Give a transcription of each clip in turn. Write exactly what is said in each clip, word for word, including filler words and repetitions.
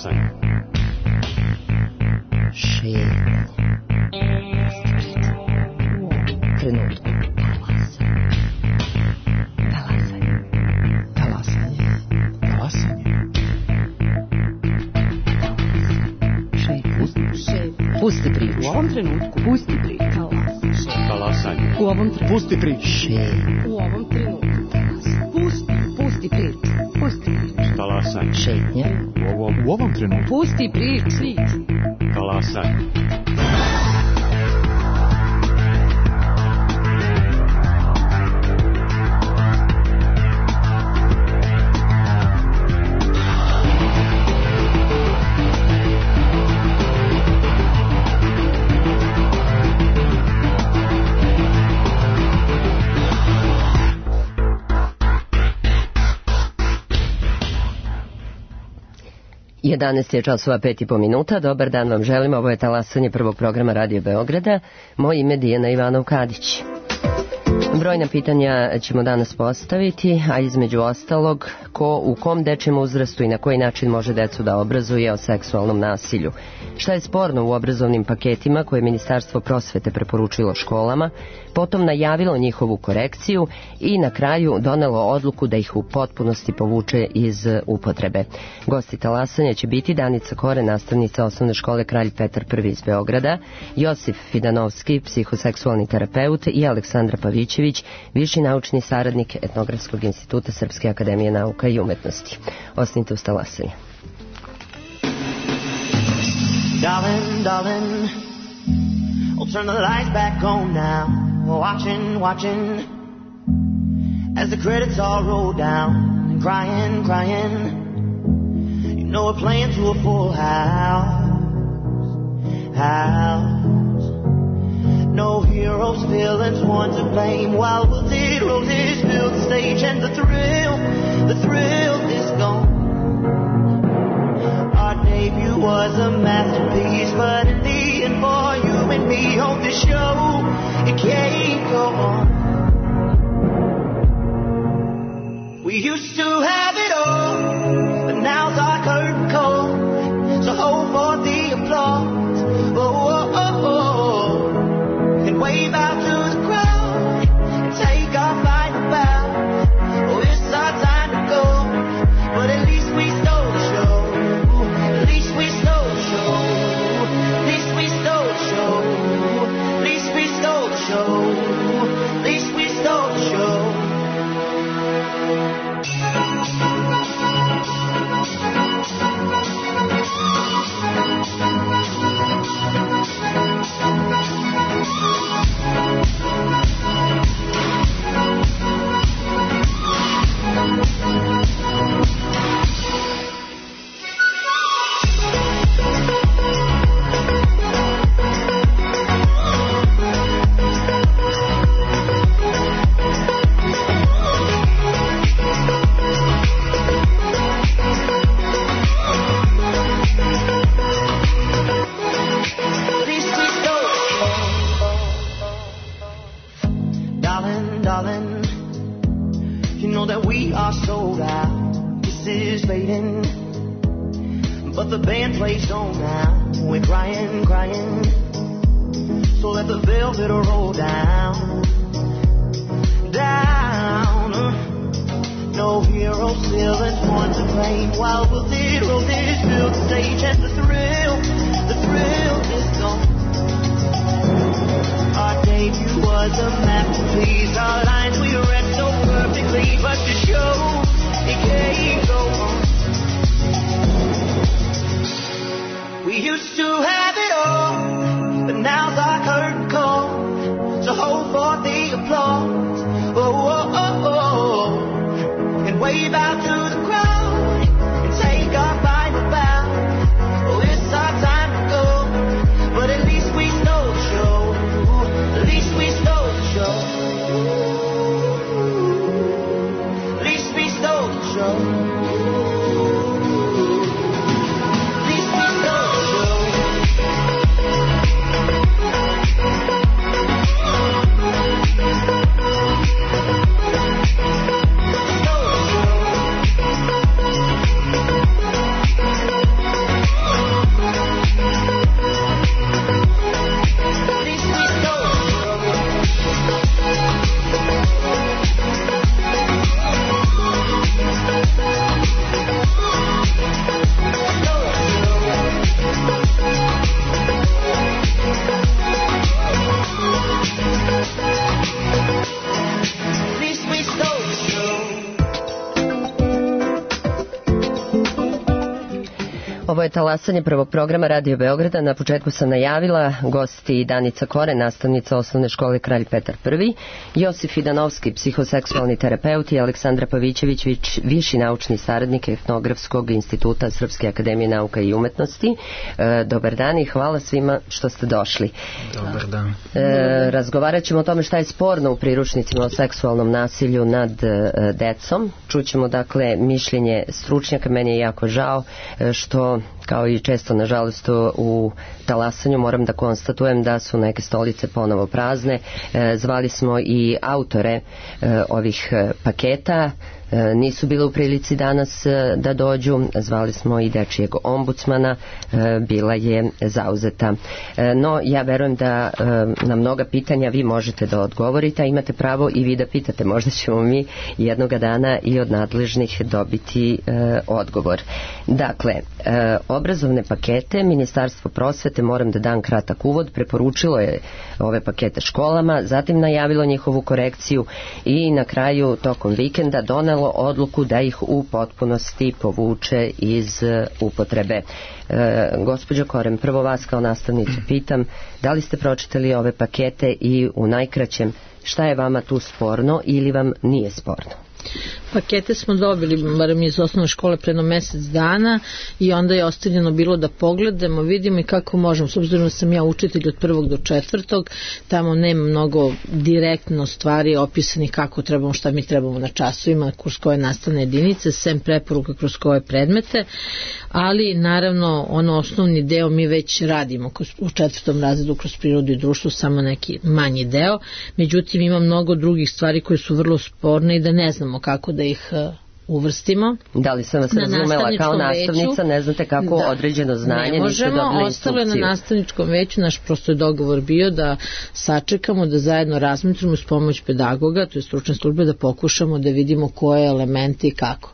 Talasanje. Šetnje. Trenutku. Talasanje. Talasanje. Talasanje. Pusti priču. U ovom trenutku. Pusti priču. Talasanje. U ovom trenutku. Pusti priču. U ovom trenutku. Pusti. Pusti priču. Pusti priču. Talasanje. Šetnja. U ovom, u ovom trenutku. Pusti priču. Talasanje. jedanaest je časova pet i po minuta. Dobar dan vam želim. Ovo je Talasanje prvog programa Radio Beograda. Moje ime je Dijana Ivanov-Kadić. Brojna pitanja ćemo danas postaviti, a između ostalog, ko u kom dečijem uzrastu i na koji način može decu da obrazuje o seksualnom nasilju. Šta je sporno u obrazovnim paketima koje je Ministarstvo prosvete preporučilo školama, potom najavilo njihovu korekciju i na kraju donelo odluku da ih u potpunosti povuče iz upotrebe. Gosti Talasanja će biti Danica Kore, nastavnica osnovne škole Kralj Petar prvi iz Beograda, Josif Fidanovski, psihoseksualni terapeut i Aleksandra Pavićević, viši naučni saradnik Etnografskog instituta Srpske akademije nauka i umetnosti. Ostanite uz Talasanje. Darling, darling, I'll turn the lights back on now. Watching, watching, as the credits all roll down. And crying, crying, you know we're playing to a full house, house. No heroes, villains, one to blame. While wilted roses fill the stage, and the thrill, the thrill is gone. Our debut was a masterpiece, but in the end, for you and me on this show, it can't go on. We used to have it all, but now's our curtain call. So hold for the applause, oh, oh, oh, oh. And wave out to the crowd and take our final bow. Oh, it's our time to go, but at least we stole the show. At least we stole the show. At least we stole the show. At least we stole the show. At least we stole the show. But the band plays on now. We're crying, crying. So let the velvet roll down, down. No heroes, villains, one to blame. While wilted roses fill the stage, and the thrill, the thrill is gone. Our debut was a masterpiece. Our lines we read so perfectly, but the show, it can't go on. We used to have it all, but now's our curtain call. So hold for the applause, oh, oh, oh, oh. And wave out to the crowd and take our final bow. Oh, Ovo je talasanje prvog programa Radio Beograda. Na početku sam najavila gosti Danica Kore, nastavnica osnovne škole Kralj Petar I, Josif Idanovski, psihoseksualni terapeut i Aleksandra Pavićević, viši naučni saradnik Etnografskog instituta Srpske akademije nauka i umetnosti. E, dobar dan i hvala svima što ste došli. Dobar dan. E, razgovarat ćemo o tome šta je sporno u priručnicima o seksualnom nasilju nad e, decom. Čućemo dakle mišljenje stručnjaka. Meni je jako žao e, što, kao i često nažalost u talasanju, moram da konstatujem da su neke stolice ponovo prazne. E, zvali smo i autore e, ovih e, paketa. E, nisu bile u prilici danas e, da dođu. Zvali smo i dečijeg ombudsmana, e, bila je zauzeta. E, no, ja verujem da e, na mnoga pitanja vi možete da odgovorite, a imate pravo i vi da pitate. Možda ćemo mi jednoga dana i od nadležnih dobiti e, odgovor. Dakle, e, obrazovne pakete Ministarstvo prosvete, moram da dam kratak uvod, preporučilo je ove pakete školama, zatim najavilo njihovu korekciju i na kraju tokom vikenda donelo odluku da ih u potpunosti povuče iz upotrebe. E, gospođo Korem, prvo vas kao nastavnicu pitam, da li ste pročitali ove pakete i u najkraćem šta je vama tu sporno ili vam nije sporno? Pakete smo dobili, barem iz osnovne škole, predno mjesec dana i onda je ostavljeno bilo da pogledamo, vidimo i kako možemo. S obzirom da sam ja učitelj od prvog do četvrtog, tamo nema mnogo direktno stvari opisanih kako trebamo, šta mi trebamo na časovima, kroz koje nastavne jedinice, sem preporuka kroz koje predmete, ali naravno ono osnovni deo mi već radimo u četvrtom razredu kroz prirodu i društvo, samo neki manji deo. Međutim, ima mnogo drugih stvari koje su vrlo sporne i da ne znamo kako da ih uvrstimo. Da li sam vas na razumela kao nastavnica, veću, ne znate kako da, određeno znanje, ne možemo, niste dobili ostalo je instrukciju. na nastavničkom veću, naš prosto je dogovor bio da sačekamo, da zajedno razmislimo uz pomoć pedagoga, to je stručne službe, da pokušamo da vidimo koje elementi i kako.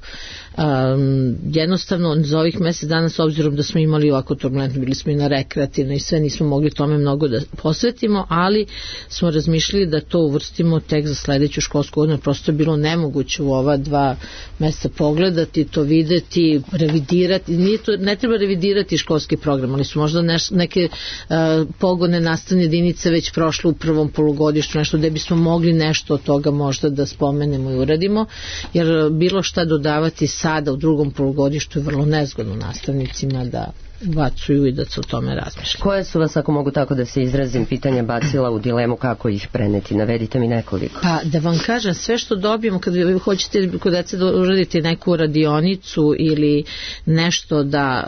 Um, jednostavno za ovih mjesec dana, s obzirom da smo imali ovako turbulentno, bili smo i na rekreativno i sve, nismo mogli tome mnogo da posvetimo, ali smo razmišljali da to uvrstimo tek za sledeću školsku godinu. Prosto je bilo nemoguće u ova dva mjeseca pogledati, to videti, revidirati. Nije to, ne treba revidirati školski program, ali su možda neš, neke uh, pogone nastavne jedinice već prošle u prvom polugodištu, nešto gde bismo mogli nešto od toga možda da spomenemo i uradimo, jer bilo šta dodavati sada u drugom polugodištu je vrlo nezgodno nastavnicima da bacuju i da se o tome razmišlja. Koje su vas, ako mogu tako da se izrazim, pitanja bacila u dilemu kako ih preneti? Navedite mi nekoliko. Pa da vam kažem, sve što dobijemo, kad vi hoćete kod dece da uradite neku radionicu ili nešto da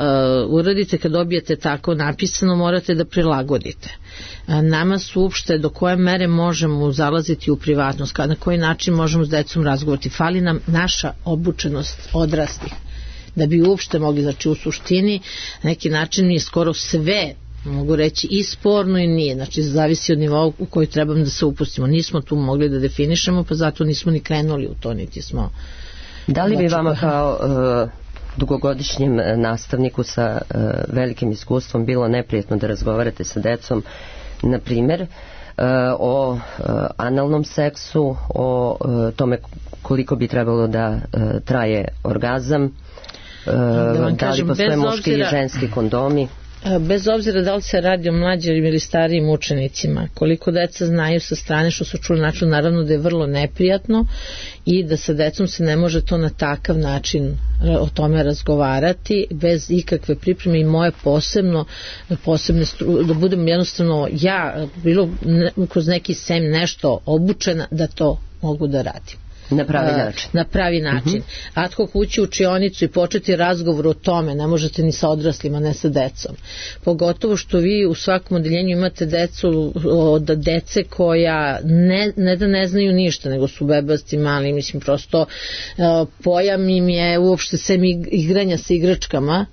uh, uradite, kad dobijete tako napisano, morate da prilagodite. Nama su uopšte do koje mere možemo zalaziti u privatnost, na koji način možemo s decom razgovarati. Fali nam naša obučenost odraslih da bi uopšte mogli, znači u suštini na neki način je skoro sve, mogu reći, i sporno i nije, znači zavisi od nivoa u koji trebamo da se upustimo. Nismo tu mogli da definišemo, pa zato nismo ni krenuli u to, niti smo. Da li bi vama kao uh, dugogodišnjem nastavniku sa uh, velikim iskustvom bilo neprijetno da razgovarate sa decom, na primjer, uh, o uh, analnom seksu, o uh, tome koliko bi trebalo da uh, traje orgazam, da, da kažem, li postoje muški i ženski kondomi? Bez obzira da li se radi o mlađim ili starijim učenicima, koliko deca znaju sa strane što su čuli, način, naravno da je vrlo neprijatno i da sa decom se ne može to na takav način o tome razgovarati bez ikakve pripreme i moje posebno posebne stru, da budem jednostavno ja bilo ne, kroz neki sem nešto obučena da to mogu da radim. Na pravi način. Na pravi način. Uh-huh. Ad hoc ući u učionicu i početi razgovor o tome, ne možete ni sa odraslima, ne sa decom. Pogotovo što vi u svakom odeljenju imate decu od dece koja ne, ne da ne znaju ništa, nego su bebasti, mali, mislim, prosto uh, pojam im je uopšte sem igranja sa igračkama,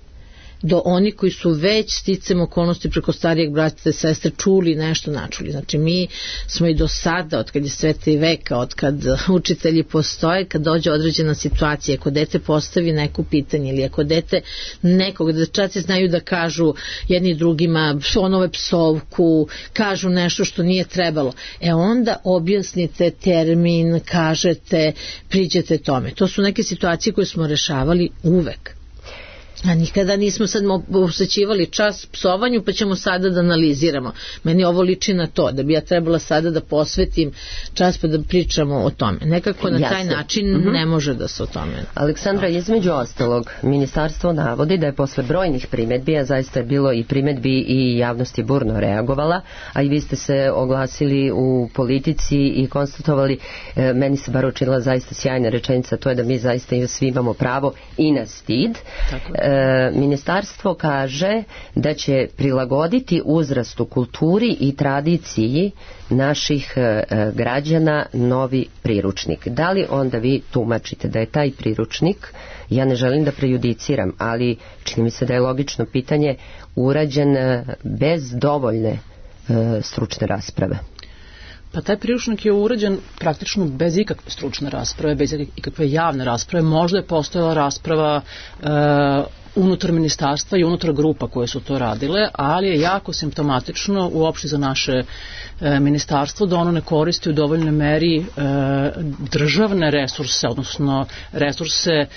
do oni koji su već sticam okolnosti preko starijeg brata i sestre čuli nešto načuli. Znači mi smo i do sada, od kad je sveta i veka, od kad učitelji postoje, kad dođe određena situacija, ako dete postavi neko pitanje ili ako dete nekog, da dečaci znaju da kažu jedni drugima onove psovku, kažu nešto što nije trebalo, e onda objasnite termin, kažete, priđete tome. To su neke situacije koje smo rešavali uvek. A nikada nismo sad posvećivali čas psovanju pa ćemo sada da analiziramo. Meni ovo liči na to, da bi ja trebala sada da posvetim čas pa da pričamo o tome. Nekako na taj Jasne. način Mhm. ne može da se o tome... Aleksandra, između ostalog, ministarstvo navodi da je posle brojnih primetbi, a zaista je bilo i primetbi i javnost je burno reagovala, a i vi ste se oglasili u Politici i konstatovali, e, meni se bar učinila zaista sjajna rečenica, to je da mi zaista i svi imamo pravo i na stid. Tako. E, ministarstvo kaže da će prilagoditi uzrastu, kulturi i tradiciji naših e, građana novi priručnik. Da li onda vi tumačite da je taj priručnik, ja ne želim da prejudiciram, ali čini mi se da je logično pitanje, urađen e, bez dovoljne e, stručne rasprave? Pa taj priručnik je urađen praktično bez ikakve stručne rasprave, bez ikakve javne rasprave. Možda je postojala rasprava e, unutar ministarstva i unutar grupa koje su to radile, ali je jako simptomatično uopšte za naše e, ministarstvo da ono ne koristi u dovoljnoj meri e, državne resurse, odnosno resurse e,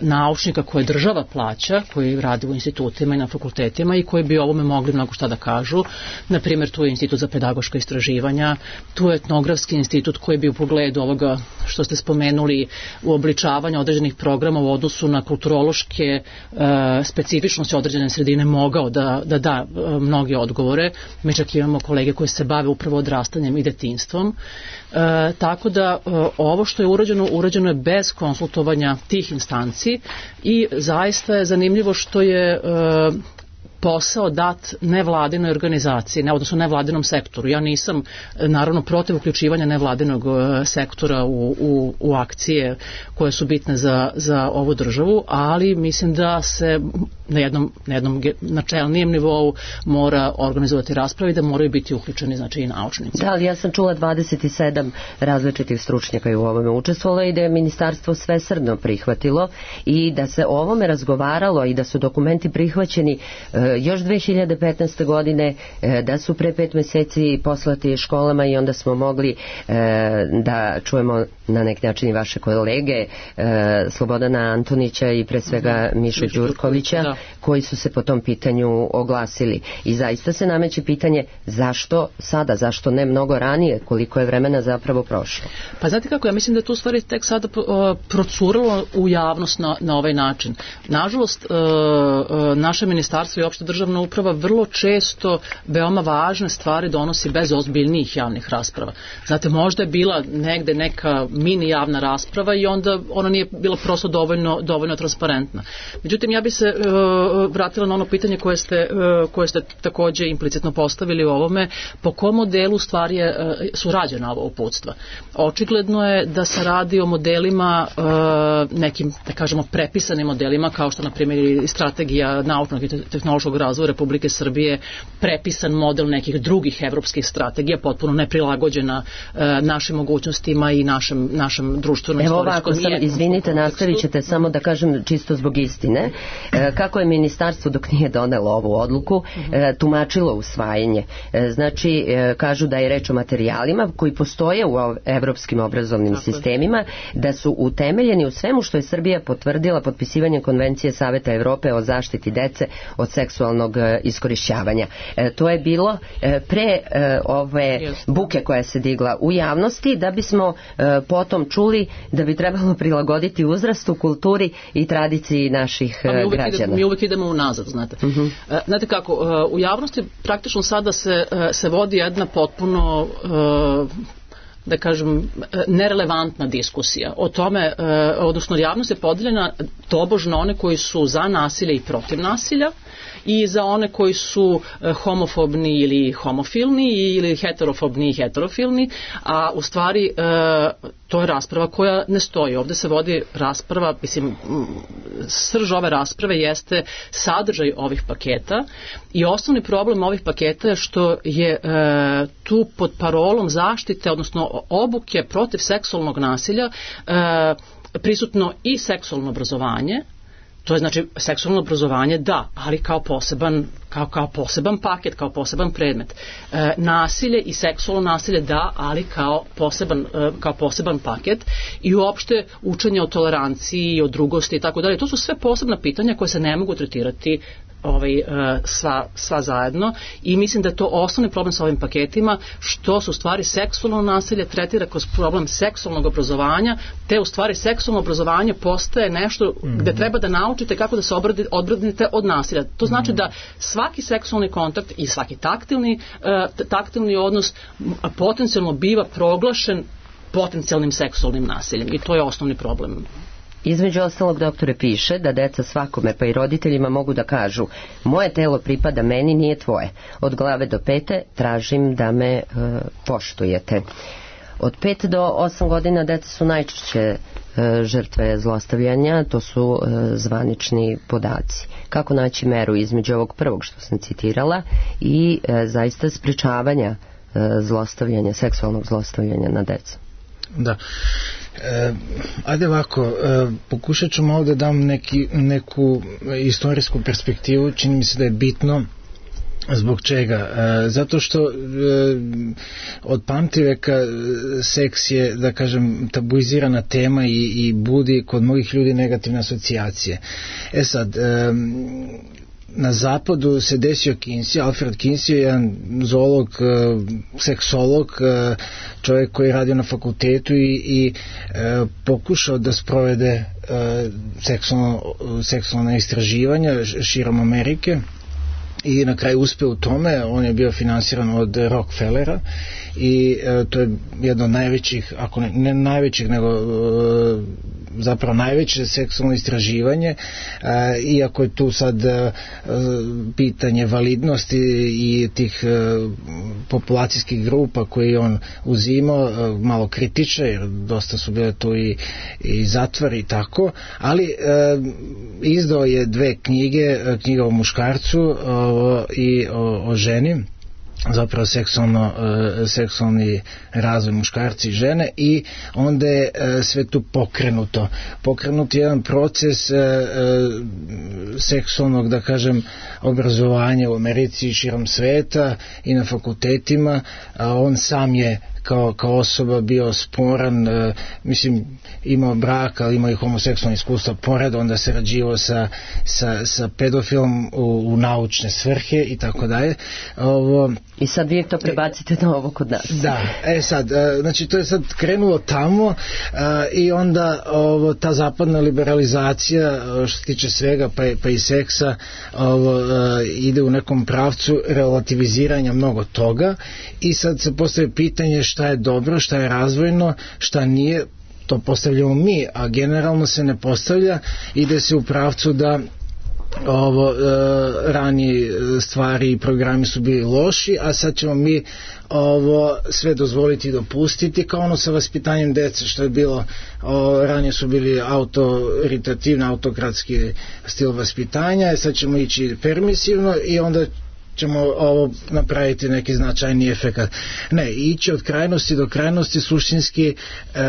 naučnika koje država plaća, koji radi u institutima i na fakultetima i koji bi ovome mogli mnogo šta da kažu. Naprimjer, tu je Institut za pedagoška istraživanja, tu je Etnografski institut koji bi u pogledu ovoga što ste spomenuli uobličavanja određenih programa u odnosu na kulturološke e, specifičnosti određene sredine mogao da da, da e, mnoge odgovore. Mi čak imamo kolege koji se bave upravo odrastanjem i detinjstvom. E, tako da e, ovo što je urađeno, urađeno je bez konsultovanja tih instanci i zaista je zanimljivo što je e, posao dat nevladinoj organizaciji, ne, odnosno nevladinom sektoru. Ja nisam naravno protiv uključivanja nevladinog sektora u, u, u akcije koje su bitne za, za ovu državu, ali mislim da se na jednom, na jednom načelnijem nivou mora organizovati rasprave i da moraju biti uključeni, znači, i naučnici. Da, ali ja sam čula dvadeset sedam različitih stručnjaka je u ovome učestvovalo i da je ministarstvo svesrdno prihvatilo i da se o ovome razgovaralo i da su dokumenti prihvaćeni e, još dve hiljade petnaeste. godine, e, da su pre pet meseci poslati školama i onda smo mogli e, da čujemo na neki način i vaše kolege e, Slobodana Antonića i pre svega mm-hmm. Mišu Đurkovića, da, koji su se po tom pitanju oglasili. I zaista se nameće pitanje zašto sada, zašto ne mnogo ranije, koliko je vremena zapravo prošlo? Pa znate kako, ja mislim da je tu stvari tek sada procuralo u javnost na, na ovaj način. Nažalost, naše ministarstvo i opšte državna uprava vrlo često veoma važne stvari donosi bez ozbiljnijih javnih rasprava. Znate, možda je bila negde neka mini javna rasprava i onda ona nije bila prosto dovoljno, dovoljno transparentna. Međutim, ja bi se uh, vratila na ono pitanje koje ste, uh, koje ste takođe implicitno postavili u ovome, po kom modelu stvari je, uh, su rađena ova uputstva. Očigledno je da se radi o modelima, uh, nekim, da kažemo, prepisanim modelima, kao što, na primjer, strategija naučnog i tehnološkog razvoja Republike Srbije, prepisan model nekih drugih evropskih strategija, potpuno neprilagođena uh, našim mogućnostima i našem, našem društvenom istorijskom. Evo ovako, sam, izvinite, nastavit ćete, samo da kažem čisto zbog istine. E, kako je ministarstvo dok nije donelo ovu odluku e, tumačilo usvajanje? E, znači, e, kažu da je reč o materijalima koji postoje u evropskim obrazovnim Tako sistemima, da su utemeljeni u svemu što je Srbija potvrdila potpisivanjem Konvencije Saveta Evrope o zaštiti dece od seksualnog e, iskorišćavanja. E, to je bilo e, pre e, ove buke koja se digla u javnosti, da bismo e, potom čuli da bi trebalo prilagoditi uzrastu, kulturi i tradiciji naših pa mi građana. Idemo, mi uvijek idemo unazad, znate. Uh-huh. E, znate kako, u javnosti praktično sada se, se vodi jedna potpuno da kažem, nerelevantna diskusija o tome, odnosno javnost je podeljena tobožno one koji su za nasilje i protiv nasilja i za one koji su homofobni ili homofilni ili heterofobni i heterofilni, a u stvari to je rasprava koja ne stoji. Ovde se vodi rasprava, mislim, srž ove rasprave jeste sadržaj ovih paketa i osnovni problem ovih paketa je što je e, tu pod parolom zaštite, odnosno obuke protiv seksualnog nasilja, e, prisutno i seksualno obrazovanje, To je znači seksualno obrazovanje da, ali kao poseban, kao, kao poseban paket, kao poseban predmet. E, nasilje i seksualno nasilje da, ali kao poseban, e, kao poseban paket i uopšte učenje o toleranciji, o drugosti i tako dalje. To su sve posebna pitanja koje se ne mogu tretirati ovaj, sva, sva zajedno i mislim da je to osnovni problem sa ovim paketima, što su u stvari seksualno nasilje tretira kroz problem seksualnog obrazovanja, te u stvari seksualno obrazovanje postaje nešto mm-hmm. gde treba da naučite kako da se odbranite od nasilja. To znači mm-hmm. da svaki seksualni kontakt i svaki taktilni, uh, taktilni odnos potencijalno biva proglašen potencijalnim seksualnim nasiljem i to je osnovni problem. Između ostalog, doktore, piše da deca svakome, pa i roditeljima, mogu da kažu: moje telo pripada meni, nije tvoje. Od glave do pete tražim da me e, poštujete. Od pet do osam godina deca su najčešće e, žrtve zlostavljanja, to su e, zvanični podaci. Kako naći meru između ovog prvog što sam citirala i e, zaista sprečavanja e, zlostavljanja, seksualnog zlostavljanja na decu? Da. E, ajde ovako, e, pokušat ću malo da dam neki, neku istorijsku perspektivu, čini mi se da je bitno. Zbog čega? E, zato što e, od pamtiveka seks je, da kažem, tabuizirana tema i, i budi kod mnogih ljudi negativne asocijacije. E sad, e, na zapadu se desio Kinsey, Alfred Kinsey je jedan zoolog, seksolog, čovjek koji je radio na fakultetu i, i e, pokušao da sprovede e, seksualno, seksualne istraživanja širom Amerike i na kraju uspeo u tome. On je bio finansiran od Rockefellera i e, to je jedno od najvećih, ako ne, ne najvećih, nego e, zapravo najveće seksualno istraživanje, e, iako je tu sad e, pitanje validnosti i tih e, populacijskih grupa koje on uzimao e, malo kritiče, jer dosta su bile tu i, i zatvori i tako, ali e, izdao je dve knjige, knjiga o muškarcu o, i o, o ženi, zapravo seksualno, e, seksualni razvoj muškarci i žene, i onda je e, sve tu pokrenuto. Pokrenut je jedan proces e, e, seksualnog, da kažem, obrazovanja u Americi i širom sveta i na fakultetima, a on sam je kao, kao osoba bio sporan, e, mislim, imao brak, ali imao i homoseksualno iskustvo pored, onda se rađivao sa, sa, sa pedofilom u, u naučne svrhe i tako dalje. Ovo, I sad vi to prebacite na ovo kod nas. Da, e sad, e, znači to je sad krenulo tamo e, i onda ovo, ta zapadna liberalizacija što se tiče svega, pa, pa i seksa, ovo, e, ide u nekom pravcu relativiziranja mnogo toga i sad se postavlja pitanje šta je dobro, šta je razvojno, šta nije. To postavljamo mi, a generalno se ne postavlja, ide se u pravcu da ovo e, ranije stvari i programi su bili loši, a sad ćemo mi ovo sve dozvoliti i dopustiti, kao ono sa vaspitanjem dece što je bilo, o, ranije su bili autoritativni, autokratski stil vaspitanja, sad ćemo ići permisivno i onda ćemo ovo napraviti neki značajni efekat. Ne, ići od krajnosti do krajnosti suštinski e,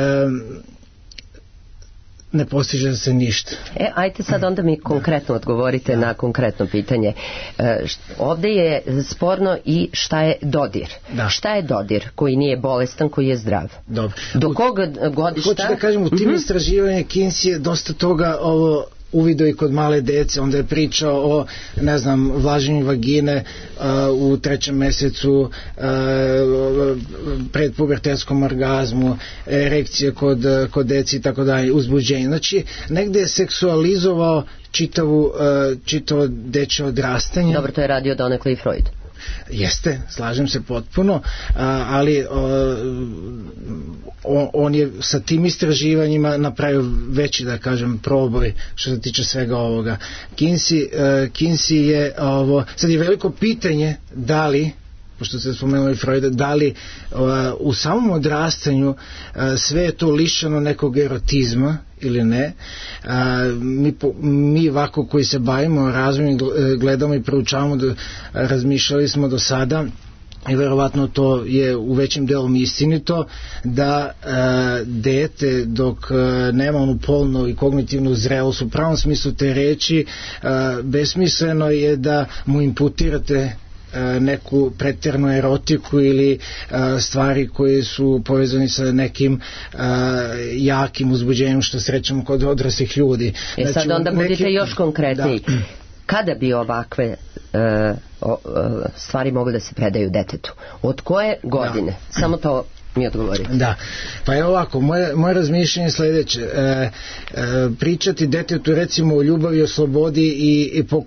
ne postiže se ništa. E, ajte sad onda mi konkretno odgovorite na konkretno pitanje. E, št, ovde je sporno i šta je dodir. Da. Šta je dodir koji nije bolestan, koji je zdrav? Dobro. Do kog godišta? Hoću da kažem, u tim mm-hmm. istraživanjima Kinsey je dosta toga ovo uvidio i kod male dece, onda je pričao o, ne znam, vlaženju vagine uh, u trećem mesecu, uh, predpubertetskom orgazmu, erekcije kod, kod deci i tako dalje, uzbuđenje. Znači, negde je seksualizovao čitavu, uh, čitavo dečje odrastanje. Dobro, to je radio donekle i Freud. Jeste, slažem se potpuno, ali on je sa tim istraživanjima napravio veći, da kažem, proboj što se tiče svega ovoga. Kinsey, Kinsey je ovo, sad je veliko pitanje da li, pošto ste spomenuli Freuda, da li u samom odrastanju sve je to lišeno nekog erotizma ili ne. A, mi, mi ovako koji se bavimo razvojem, gledamo i proučavamo, do, razmišljali smo do sada i verovatno to je u većim delom istinito, da e, dete dok e, nema onu polnu i kognitivnu zrelost u pravom smislu te reči, e, besmisleno je da mu imputirate neku pretjeranu erotiku ili a, stvari koje su povezani sa nekim a, jakim uzbuđenjem što srećemo kod odraslih ljudi. E sad znači, onda neki... budite još konkretniji. Da. Kada bi ovakve uh, o, uh, stvari mogli da se predaju detetu? Od koje godine? Da. Samo to mi odgovorite. Da, pa je ovako, moje, moje razmišljanje je sledeće. E, e, pričati detetu recimo o ljubavi, o slobodi i, i po,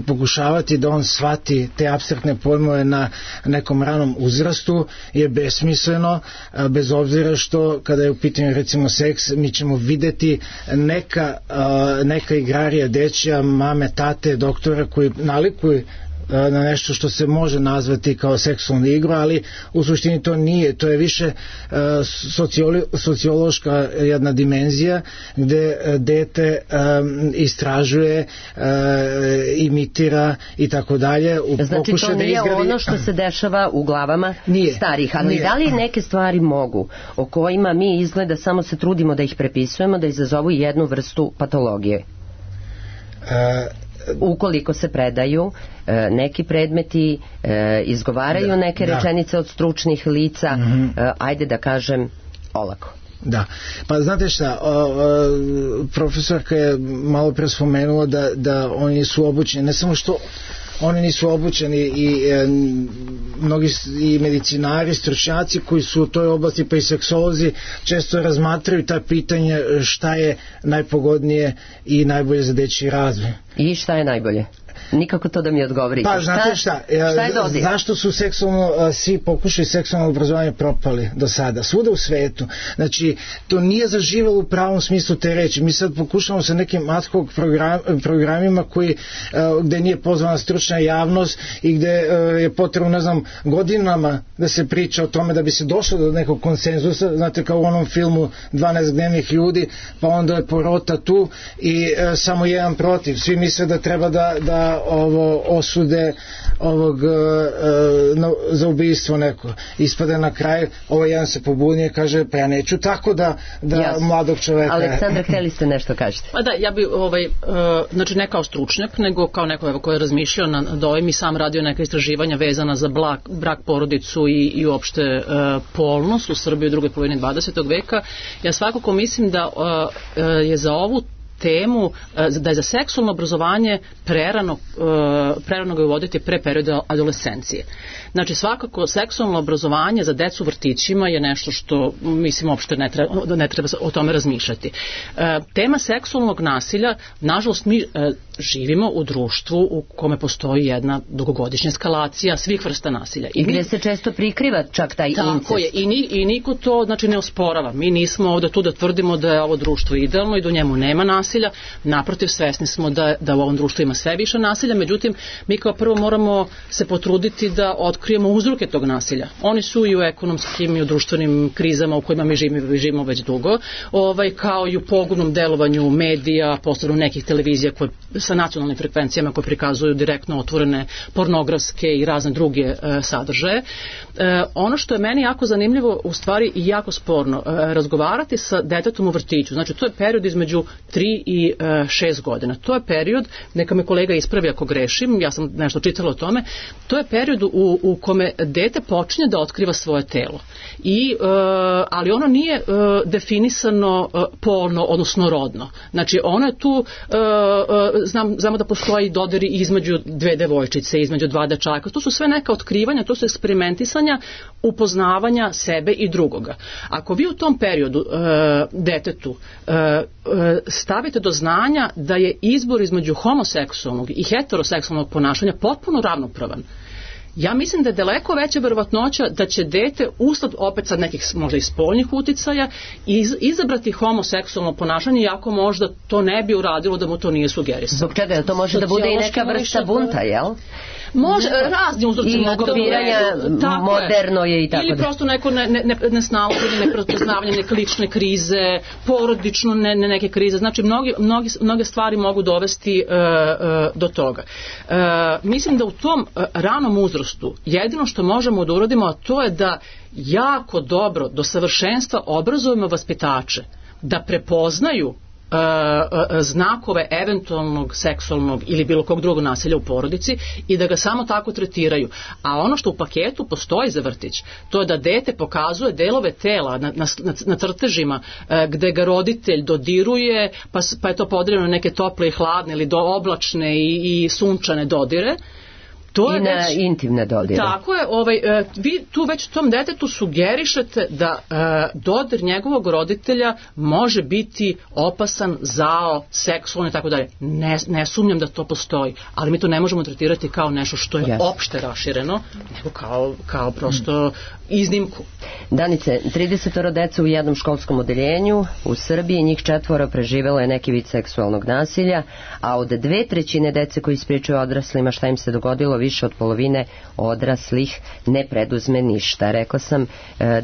pokušavati da on shvati te apstraktne pojmove na nekom ranom uzrastu je besmisleno, bez obzira što kada je u pitanju recimo seks, mi ćemo videti neka, neka igrarija dečija, mame, tate, doktora koji nalikuju na nešto što se može nazvati kao seksualna igra, ali u suštini to nije, to je više sociolo, sociološka jedna dimenzija gde dete um, istražuje, uh, imitira i tako dalje. Znači to nije da izgradi... ono što se dešava u glavama nije, starih, ali nije. Da li neke stvari mogu, o kojima mi izgleda samo se trudimo da ih prepisujemo, da izazovu jednu vrstu patologije? Uh, ukoliko se predaju e, neki predmeti, e, izgovaraju da, neke da. rečenice od stručnih lica, mm-hmm. e, ajde da kažem olako. Da, pa znate šta, o, o, profesorka je malo pre spomenula da, da oni su obučeni, ne samo što oni nisu obučeni i e, mnogi i medicinari, stručnjaci koji su u toj oblasti, pa i seksolozi, često razmatraju ta pitanja šta je najpogodnije i najbolje za dečiji razvoj. I šta je najbolje? Nikako to da mi odgovorite. Pa znate šta, šta je dodir? Zašto su seksualno, svi pokušali seksualno obrazovanje propali do sada? Svuda u svetu. Znači, to nije zaživalo u pravom smislu te reči. Mi sad pokušamo sa nekim ad hoc program, programima koji, gde nije pozvana stručna javnost i gde je potrebno, ne znam, godinama da se priča o tome da bi se došlo do nekog konsenzusa, znate, kao u onom filmu dvanaest gnevnih ljudi, pa onda je porota tu i samo jedan protiv. Svi misle da treba da, da ovo osude ovog uh, no, za ubistvo neko. Ispade na kraju, ovo jedan se pobunije, kaže, pa ja neću tako da, da yes. mladog čoveka... Aleksandra, hteli ste nešto kažete? Pa da, ja bi, ovaj, uh, znači ne kao stručnjak, nego kao neko evo, koji je razmišljao na, na ovim i sam radio neka istraživanja vezana za brak, brak porodicu i, i uopšte uh, polnost u Srbiji u drugoj polovini dvadesetog veka. Ja svakako mislim da uh, uh, je za ovu temu, da je za seksualno obrazovanje prerano, prerano ga uvoditi pre perioda adolescencije. Znači svakako seksualno obrazovanje za decu u vrtićima je nešto što mislim uopšte ne treba, ne treba o tome razmišljati. Tema seksualnog nasilja, nažalost mi živimo u društvu u kome postoji jedna dugogodišnja eskalacija svih vrsta nasilja. I gdje se često prikriva čak taj tako incest. Tako je, i, ni, i niko to znači ne osporava. Mi nismo ovdje tu da tvrdimo da je ovo društvo idealno i da u njemu nema nasilja. Naprotiv, svesni smo da, da u ovom društvu ima sve više nasilja, međutim mi kao prvo moramo se potruditi da otkrijemo uzroke tog nasilja. Oni su i u ekonomskim i u društvenim krizama u kojima mi živimo, živimo već dugo, ovaj, kao i u pogubnom delovanju medija, posebno nekih televizija koje, sa nacionalnim frekvencijama koje prikazuju direktno otvorene pornografske i razne druge e, sadržaje. E, ono što je meni jako zanimljivo, u stvari i jako sporno, e, razgovarati sa detetom u vrtiću. Znači to je period između tri i šest godina. To je period, neka me kolega ispravi ako grešim, ja sam nešto čitala o tome, to je period u, u kome dete počinje da otkriva svoje telo. I, uh, ali ono nije uh, definisano uh, polno, odnosno rodno. Znači ono je tu, uh, uh, znam, znamo da postoji dodiri između dve devojčice, između dva dečaka. To su sve neka otkrivanja, to su eksperimentisanja, upoznavanja sebe i drugoga. Ako vi u tom periodu uh, detetu uh, uh, stavite do znanja da je izbor između homoseksualnog i heteroseksualnog ponašanja potpuno ravnopravan, ja mislim da je daleko veća verovatnoća da će dete usled opet sad nekih možda i spoljnih uticaja iz, izabrati homoseksualno ponašanje, iako možda to ne bi uradilo da mu to nije sugerisano. Zbog čega? To može da bude i neka vrsta bunta, jel? Može, razni uzroci I mogu aktiviranja moderno je i tako ili da. prosto neko ne, ne, ne, nesnalaženje, neprepoznavanje neke lične krize, porodično ne, ne neke krize, znači mnogi, mnogi, mnoge stvari mogu dovesti uh, uh, do toga. Uh, mislim da u tom uh, ranom uzrastu jedino što možemo da uradimo, a to je da jako dobro do savršenstva obrazujemo vaspitače da prepoznaju Uh, uh, znakove eventualnog seksualnog ili bilo kog drugog nasilja u porodici i da ga samo tako tretiraju. A ono što u paketu postoji za vrtić, to je da dete pokazuje delove tela na, na, na crtežima uh, gde ga roditelj dodiruje, pa, pa je to podeljeno neke tople i hladne ili do oblačne i, i sunčane dodire. To I na već, intimne dodire. Tako je, ovaj, vi tu već tom detetu sugerišete da e, dodir njegovog roditelja može biti opasan, zao, seksualno i tako dalje. Ne, ne sumnjam da to postoji, ali mi to ne možemo tretirati kao nešto što je yes. opšte rašireno, nego kao, kao prosto mm. iznimku. Danice, tridesetoro dece u jednom školskom odeljenju u Srbiji, njih četvoro preživelo je neki vid seksualnog nasilja, a od dve trećine dece koji ispričaju odraslima šta im se dogodilo, više od polovine odraslih ne preduzme ništa. Rekla sam e,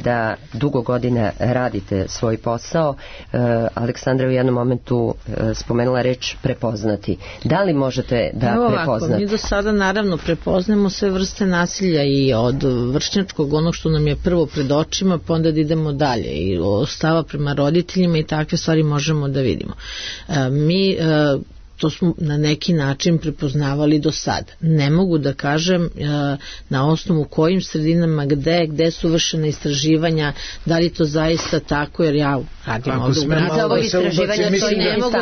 da dugo godina radite svoj posao. E, Aleksandra u jednom momentu e, spomenula reč prepoznati. Da li možete da Evo ovako, prepoznate? Mi do sada naravno prepoznamo sve vrste nasilja i od vršnjačkog, onog što nam je prvo pred očima, pa onda da idemo dalje i stava prema roditeljima i takve stvari možemo da vidimo. E, mi e, to smo na neki način prepoznavali do sada. Ne mogu da kažem e, na osnovu kojim sredinama, gde, gde su vršena istraživanja, da li to zaista tako, jer ja radim Ako ovdje u gradu. Za ovo istraživanje to i ne mogu,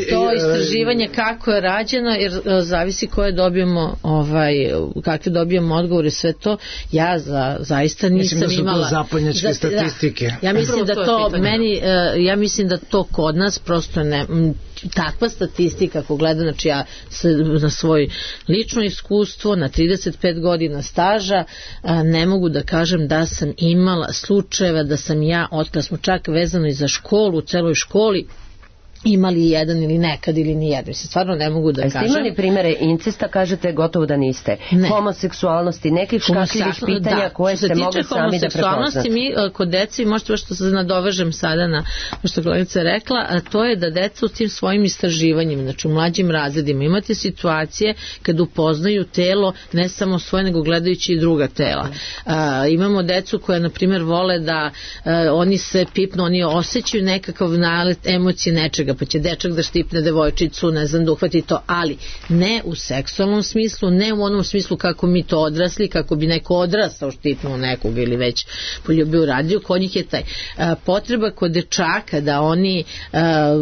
to istraživanje kako je rađeno, jer e, zavisi koje dobijemo, ovaj, kakve dobijemo odgovore, sve to, ja za, zaista nisam imala. Mislim da su to zapadnjačke statistike. Da, ja mislim da to, meni, e, ja mislim da to kod nas prosto ne, m, takva statistika ako gledam, znači ja na svoj lično iskustvo, na trideset pet godina staža, a, ne mogu da kažem da sam imala slučajeva da sam ja, otkad smo čak vezano i za školu, u celoj školi, imali jedan ili nekad ili nijedan. Mislim, stvarno ne mogu da kažem. Jeste imali primere incesta, kažete gotovo da niste. Ne. Homoseksualnosti, nekih škakljivih pitanja da, koje ste mogli sami da prepoznate. Mi kod deci, možete baš što se nadovežem sada na što kolegica rekla, a to je da deca u tim svojim istraživanjima, znači u mlađim razredima, imate situacije kad upoznaju telo ne samo svoje, nego gledajući i druga tela. A, imamo decu koja, na primjer, vole da a, oni se pipnu, oni osjećaju nekakav nalet emocije nečega, pa će dečak da štipne devojčicu, ne znam, da uhvati to, ali ne u seksualnom smislu, ne u onom smislu kako mi to odrasli, kako bi neko odrastao štipnuo nekog ili već poljubio radio, kod njih je taj a, potreba kod dečaka da oni a,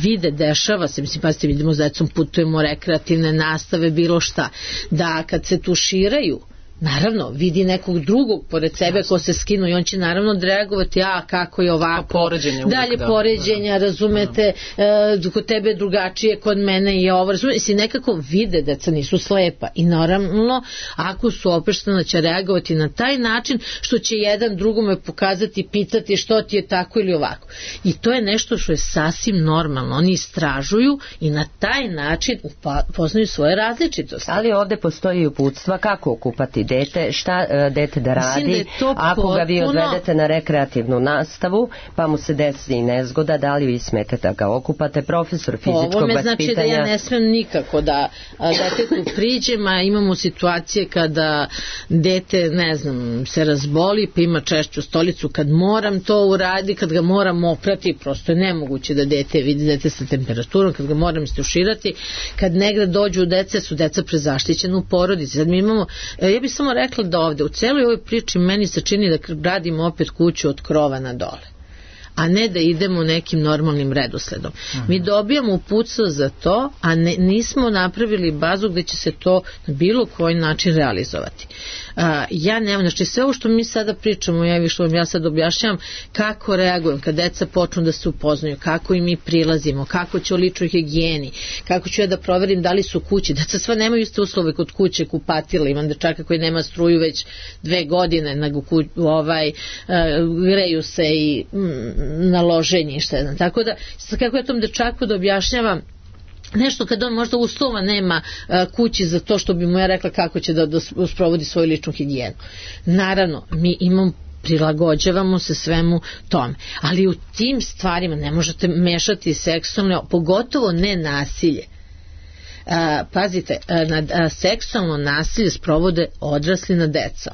vide, dešava se, mislim, pa ste vidimo s decom, putujemo, rekreativne nastave, bilo šta, da kad se tuširaju, naravno, vidi nekog drugog pored sebe ko se skinu i on će naravno reagovati, a kako je ovako, poređenje uvijek, dalje da, poređenja, da, razumete, e, kod tebe je drugačije, kod mene je ovo, razumete, si nekako vide, deca nisu slepa i naravno, ako su opreštena će reagovati na taj način što će jedan drugome pokazati, pitati što ti je tako ili ovako. I to je nešto što je sasvim normalno, oni istražuju i na taj način upoznaju svoje različitosti. Ali ovde postoji uputstva kako okupati dete, šta uh, dete da radi, da ako potpuno... ga vi odvedete na rekreativnu nastavu, pa mu se desi nezgoda, da li vi smete da ga okupate, profesor fizičkog vaspitanja. Ovo me znači da ja ne smem nikako da detetu priđem, a imamo situacije kada dete, ne znam, se razboli, pa ima češću stolicu, kad moram to uradi, kad ga moram oprati, prosto je nemoguće da dete vidi dete sa temperaturom, kad ga moram istuširati, kad negde dođu dece, su deca prezaštićena u porodici. Sad mi imamo, ja bih samo rekla da ovde u celoj ovoj priči meni se čini da radimo opet kuću od krova na dole, a ne da idemo nekim normalnim redosledom. Aha. Mi dobijamo uputstvo za to, a ne, nismo napravili bazu gde će se to na bilo koji način realizovati. A, ja nemam, znači sve ovo što mi sada pričamo, ja, što vam ja sad objašnjavam kako reagujem kad deca počnu da se upoznaju, kako im mi prilazimo, kako će o ličnoj higijeni, kako ću ja da proverim da li su kući. Deca sva nemaju iste uslove kod kuće, kupatila, imam dečaka koji nema struju već dve godine, nego ku, ovaj, uh, greju se i mm, na loženje i šta znam. Tako da, kako ja tom dečaku da objašnjavam nešto kad on možda uslova nema a, kući za to što bi mu ja rekla kako će da, da sprovodi svoju ličnu higijenu. Naravno, mi imamo prilagođavamo se svemu tome. Ali u tim stvarima ne možete mešati seksualno, pogotovo ne nasilje. A, pazite, a, na, a, seksualno nasilje sprovode odrasli nad decom.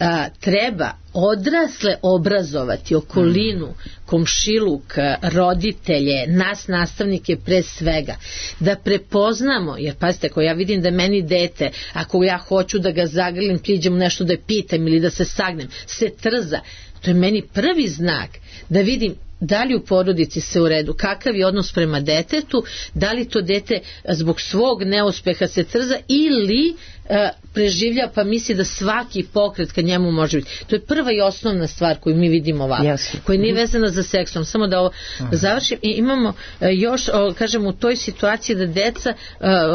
A, treba odrasle obrazovati, okolinu, komšiluk, roditelje, nas nastavnike pre svega, da prepoznamo, jer pazite, ako ja vidim da meni dete, ako ja hoću da ga zagrlim, priđem nešto da je pitam ili da se sagnem, se trza, to je meni prvi znak da vidim da li u porodici se u redu, kakav je odnos prema detetu, da li to dete zbog svog neuspeha se trza ili e, preživlja pa misli da svaki pokret kad njemu može biti. To je prva i osnovna stvar koju mi vidimo ovako, yes. koja nije vezana za seksom. Samo da ovo uh-huh. završim. I imamo e, još, o, kažem, u toj situaciji da deca, e,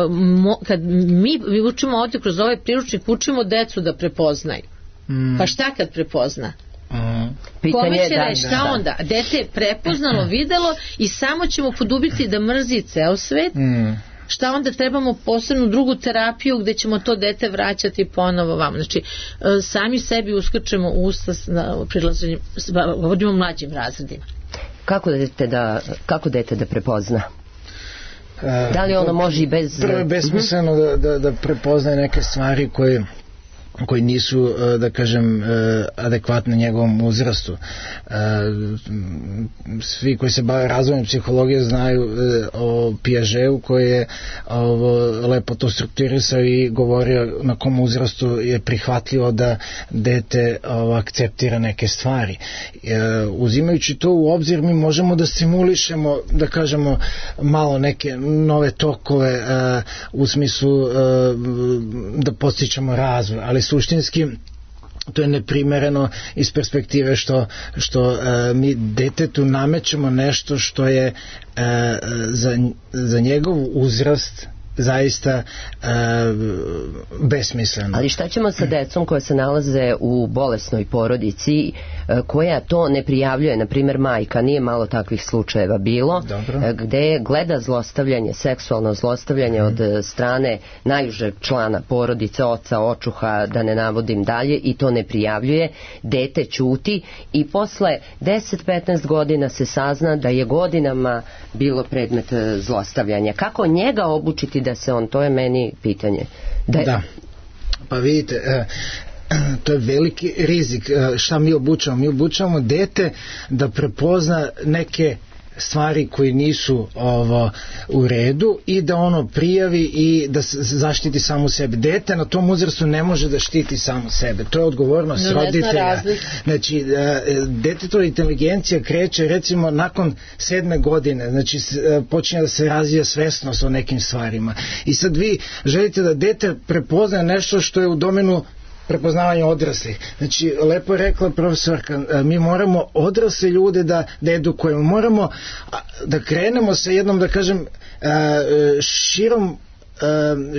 mo, kad mi, mi učimo ovdje kroz ovaj priručnik, učimo decu da prepoznaju. Mm. Pa šta kad prepozna? Mm. Kome će reći, šta onda? Dete je prepoznalo, videlo i samo ćemo podubiti da mrzi ceo svet. Mm. Šta onda trebamo posebnu drugu terapiju gde ćemo to dete vraćati ponovo vam. Znači, sami sebi uskrčemo usta na prilaženju, govorimo o mlađim razredima. Kako dete da, kako dete da prepozna? Da li ono može i bez... Prvo je besmisleno da, da, da prepoznaje neke stvari koje koji nisu, da kažem, adekvatne njegovom uzrastu. Svi koji se bave razvojem psihologije znaju o Piagetu koji je ovo lepo to strukturisao i govorio na kom uzrastu je prihvatljivo da dete ovo, akceptira neke stvari. Uzimajući to u obzir, mi možemo da stimulišemo, da kažemo, malo neke nove tokove u smislu da podstičemo razvoj, ali suštinski to je neprimereno iz perspektive što, što uh, mi detetu namećemo nešto što je uh, za, za njegov uzrast zaista e, besmisleno. Ali šta ćemo sa decom koje se nalaze u bolesnoj porodici, e, koja to ne prijavljuje, na primjer majka, nije malo takvih slučajeva bilo, e, gde gleda zlostavljanje, seksualno zlostavljanje mm. od strane najužeg člana porodice, oca, očuha, da ne navodim dalje, i to ne prijavljuje, dete ćuti i posle deset do petnaest godina se sazna da je godinama bilo predmet zlostavljanja. Kako njega obučiti da se on, to je meni pitanje. Da, da. Pa vidite, e, to je veliki rizik. E, šta mi obučavamo? Mi obučavamo dete da prepozna neke stvari koji nisu ovo u redu i da ono prijavi i da zaštiti samo sebe. Dete na tom uzrastu ne može da štiti samo sebe. To je odgovornost no, roditelja. Znači, detetova inteligencija kreće recimo nakon sedme godine. Znači, počinje da se razvija svesnost o nekim stvarima. I sad vi želite da dete prepozna nešto što je u domenu prepoznavanje odraslih. Znači, lepo je rekla profesorka, mi moramo odrasle ljude da, da edukujemo. Moramo da krenemo sa jednom, da kažem, širom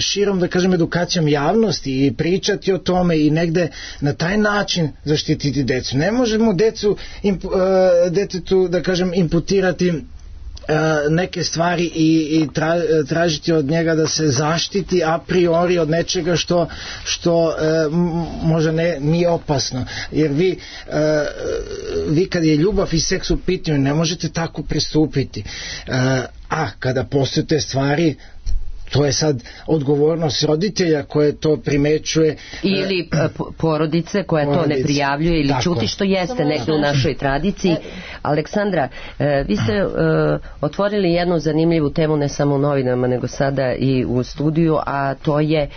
širom, da kažem, edukacijom javnosti i pričati o tome i negde na taj način zaštititi decu. Ne možemo decu, detetu, da kažem, imputirati neke stvari i, i tra, tražiti od njega da se zaštiti a priori od nečega što, što e, možda ne, nije opasno. Jer vi, e, vi kad je ljubav i seks u pitanju ne možete tako pristupiti. E, a kada postoje te stvari, to je sad odgovornost roditelja koje to primećuje. Ili porodice koja porodice. to ne prijavljuje ili ćuti, što jeste negdje u našoj tradiciji. Aleksandra, vi ste otvorili jednu zanimljivu temu ne samo u novinama nego sada i u studiju, a to je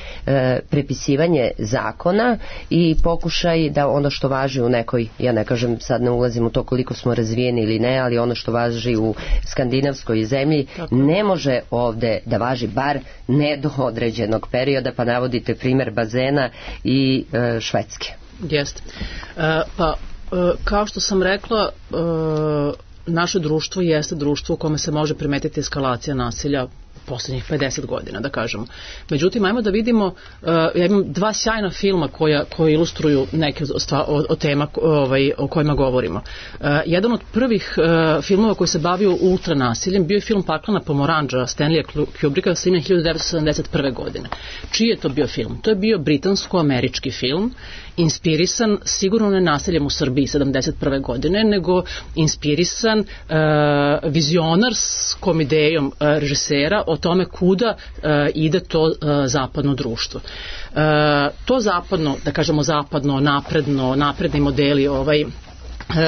prepisivanje zakona i pokušaj da ono što važi u nekoj, ja ne kažem, sad ne ulazim u to koliko smo razvijeni ili ne, ali ono što važi u skandinavskoj zemlji ne može ovde da važi, bar ne do određenog perioda, pa navodite primjer bazena i e, Švedske. Jeste. E, pa, e, kao što sam rekla, e, naše društvo jeste društvo u kome se može primetiti eskalacija nasilja poslednjih pedeset godina, da kažemo. Međutim, ajmo da vidimo, uh, ja imam dva sjajna filma koja, koji ilustruju neke stva, o, o tema ovaj, o kojima govorimo. Uh, jedan od prvih uh, filmova koji se bavio ultranasiljem bio je film Paklena pomorandža Stanleya Kubricka sa ime hiljadu devetsto sedamdeset prve. godine. Čiji je to bio film? To je bio britansko-američki film, inspirisan sigurno ne nasiljem u Srbiji sedamdeset prve. godine, nego inspirisan uh, vizionarskom idejom uh, režisera o tome kuda uh, ide to uh, zapadno društvo. Uh, to zapadno, da kažemo zapadno, napredno, napredni modeli ovaj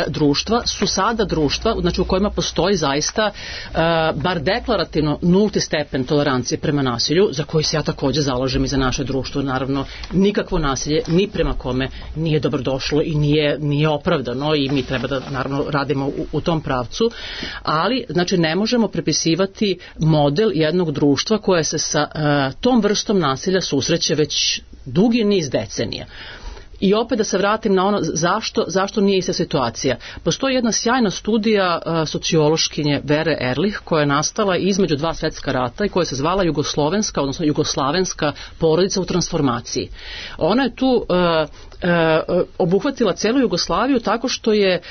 društva su sada društva, znači u kojima postoji zaista uh, bar deklarativno nulti stepen tolerancije prema nasilju, za koji se ja takođe zalažem i za naše društvo. Naravno, nikakvo nasilje ni prema kome nije dobrodošlo i nije, nije opravdano i mi treba da naravno radimo u, u tom pravcu, ali znači ne možemo prepisivati model jednog društva koje se sa uh, tom vrstom nasilja susreće već dugi niz decenija. I opet da se vratim na ono zašto, zašto nije ista situacija. Postoji jedna sjajna studija uh, sociološkinje Vere Erlich koja je nastala između dva svetska rata i koja se zvala Jugoslovenska, odnosno Jugoslavenska porodica u transformaciji. Ona je tu uh, E, obuhvatila celu Jugoslaviju tako što je e,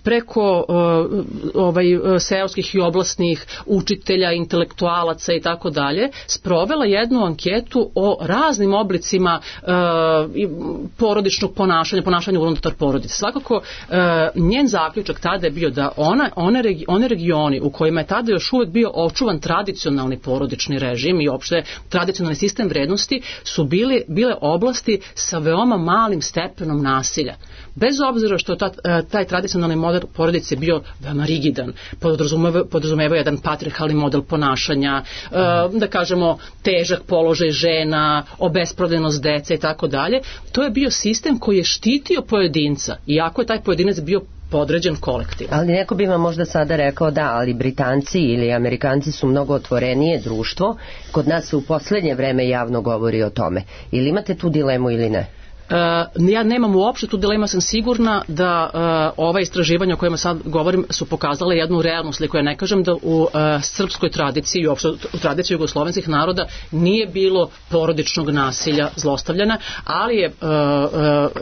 preko e, ovaj, seoskih i oblastnih učitelja, intelektualaca i tako dalje sprovela jednu anketu o raznim oblicima e, porodičnog ponašanja, ponašanja unutar porodice. Svakako e, njen zaključak tada je bio da ona, one, regi, one regioni u kojima je tada još uvek bio očuvan tradicionalni porodični režim i opšte tradicionalni sistem vrednosti su bili, bile oblasti sa veoma malim stepenom nasilja. Bez obzira što ta, taj tradicionalni model porodice bio veoma rigidan, podrazumeva, podrazumeva jedan patriarhalni model ponašanja, da kažemo težak položaj žena, obespravljenost dece i tako dalje, to je bio sistem koji je štitio pojedinca, iako je taj pojedinac bio podređen kolektiv. Ali neko bi vam možda sada rekao da, ali Britanci ili Amerikanci su mnogo otvorenije društvo, kod nas se u poslednje vreme javno govori o tome. Ili imate tu dilemu ili ne? Uh, ja nemam uopšte tu dilema, sam sigurna da uh, ova istraživanja o kojima sad govorim su pokazale jednu realnu sliku. Ja ne kažem da u uh, srpskoj tradiciji i uopšte u tradiciji jugoslovenskih naroda nije bilo porodičnog nasilja, zlostavljanja, ali je uh,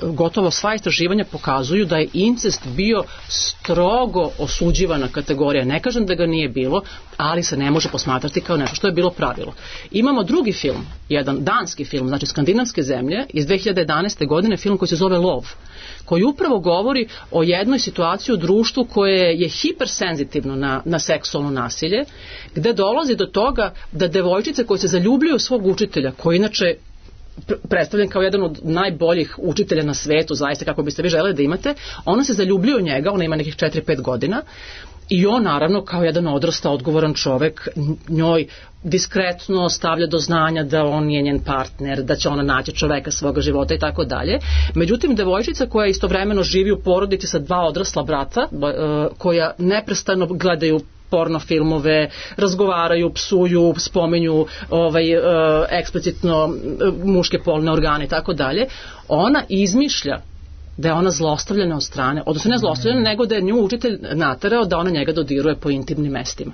uh, gotovo sva istraživanja pokazuju da je incest bio strogo osuđivana kategorija. Ne kažem da ga nije bilo, ali se ne može posmatrati kao nešto što je bilo pravilo. Imamo drugi film, jedan danski film, znači skandinavske zemlje, iz dve hiljade jedanaeste. godine, film koji se zove Lov, koji upravo govori o jednoj situaciji u društvu koje je hipersenzitivno na, na seksualno nasilje, gde dolazi do toga da devojčice koje se zaljubljuju svog učitelja, koji inače predstavljen kao jedan od najboljih učitelja na svetu, zaista kako biste vi želeli da imate, ona se zaljubljuje u njega, ona ima nekih četiri pet godina, i on naravno kao jedan odrastao odgovoran čovek njoj diskretno stavlja do znanja da on je njen partner, da će ona naći čoveka svoga života i tako dalje. Međutim, devojčica koja istovremeno živi u porodici sa dva odrasla brata, koja neprestano gledaju porno filmove, razgovaraju, psuju, spomenju ovaj, uh, eksplicitno uh, muške polne organe i tako dalje, ona izmišlja da je ona zlostavljena od strane, odnosno ne zlostavljena, nego da je nju učitelj naterao da ona njega dodiruje po intimnim mestima.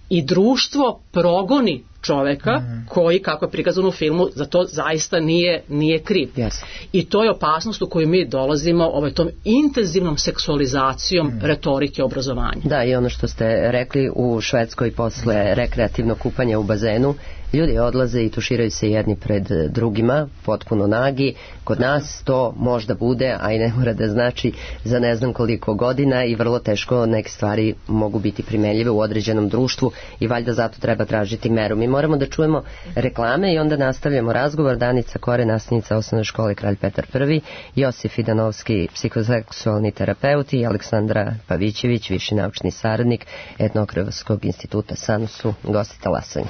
I društvo progoni čoveka mm. koji, kako je prikazano u filmu, za to zaista nije, nije kriv. Yes. I to je opasnost u koju mi dolazimo ovaj, tom intenzivnom seksualizacijom mm. retorike obrazovanja. Da, i ono što ste rekli, u Švedskoj posle rekreativnog kupanja u bazenu, ljudi odlaze i tuširaju se jedni pred drugima, potpuno nagi. Kod nas to možda bude, a i ne mora da znači za ne znam koliko godina, i vrlo teško neke stvari mogu biti primenljive u određenom društvu i valjda zato treba tražiti meru. Mi moramo da čujemo reklame i onda nastavljamo razgovor. Danica Kore, nastavnica osnovne škole Kralj Petar Prvi, Josif Idanovski, psihoseksualni terapeut, i Aleksandra Pavićević, viši naučni saradnik Etnografskog instituta Sanusu, gosti talasanja.